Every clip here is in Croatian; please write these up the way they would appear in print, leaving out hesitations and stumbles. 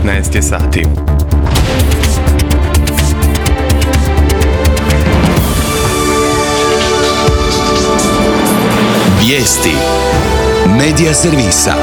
15 je sati. Vijesti Medija servisa.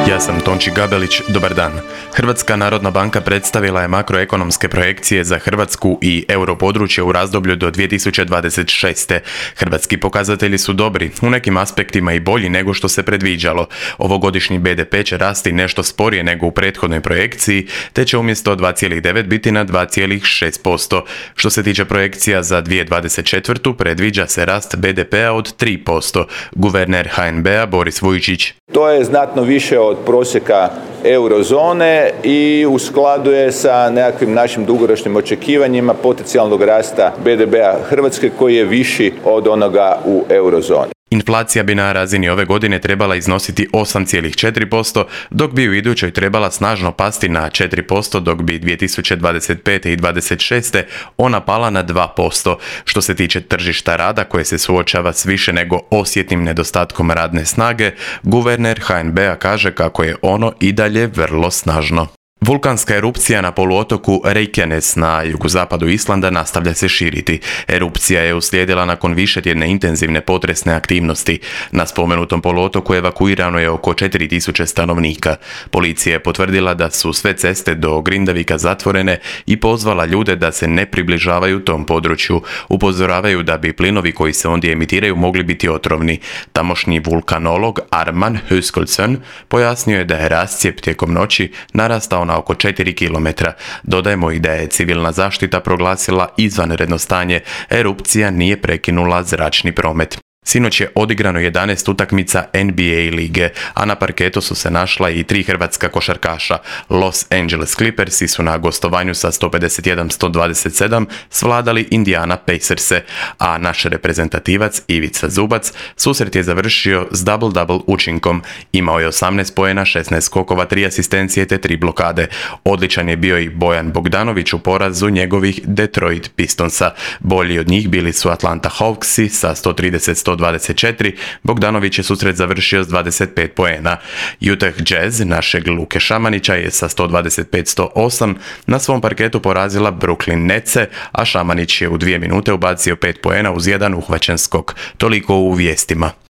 Ja sam Tonči Gabelić, dobar dan. Hrvatska narodna banka predstavila je makroekonomske projekcije za Hrvatsku i europodručje u razdoblju do 2026. Hrvatski pokazatelji su dobri, u nekim aspektima i bolji nego što se predviđalo. Ovogodišnji BDP će rasti nešto sporije nego u prethodnoj projekciji, te će umjesto 2,9 biti na 2,6%. Što se tiče projekcija za 2024. predviđa se rast BDP-a od 3%. Guverner HNB-a Boris Vujčić. To je znatno više od prosjeka eurozone i u skladu je sa nekakvim našim dugoročnim očekivanjima potencijalnog rasta BDP-a Hrvatske koji je viši od onoga u eurozoni. Inflacija bi na razini ove godine trebala iznositi 8,4%, dok bi u idućoj trebala snažno pasti na 4%, dok bi 2025. i 2026. ona pala na 2%. Što se tiče tržišta rada koje se suočava s više nego osjetnim nedostatkom radne snage, guverner HNB-a kaže kako je ono i dalje vrlo snažno. Vulkanska erupcija na poluotoku Reykjanes na jugozapadu Islanda nastavlja se širiti. Erupcija je uslijedila nakon višetjedne intenzivne potresne aktivnosti. Na spomenutom poluotoku evakuirano je oko 4000 stanovnika. Policija je potvrdila da su sve ceste do Grindavika zatvorene i pozvala ljude da se ne približavaju tom području. Upozoravaju da bi plinovi koji se ondje emitiraju mogli biti otrovni. Tamošnji vulkanolog Arman Höskulsson pojasnio je da je rascijep tijekom noći narastao na oko 4 km. Dodajemo i da je civilna zaštita proglasila izvanredno stanje. Erupcija nije prekinula zračni promet. Sinoć je odigrano 11 utakmica NBA lige, a na parketu su se našla i 3 hrvatska košarkaša. Los Angeles Clippersi su na gostovanju sa 151-127 svladali Indiana Pacerse, a naš reprezentativac Ivica Zubac susret je završio s double-double učinkom. Imao je 18 poena, 16 skokova, 3 asistencije te 3 blokade. Odličan je bio i Bojan Bogdanović u porazu njegovih Detroit Pistonsa. Bolji od njih bili su Atlanta Hawksi sa 130-124, Bogdanović je susret završio s 25 poena. Utah Jazz našeg Luke Šamanića je sa 125-108 na svom parketu porazila Brooklyn Netse, a Šamanić je u 2 minute ubacio 5 poena uz jedan uhvaćen skok. Toliko u vijestima.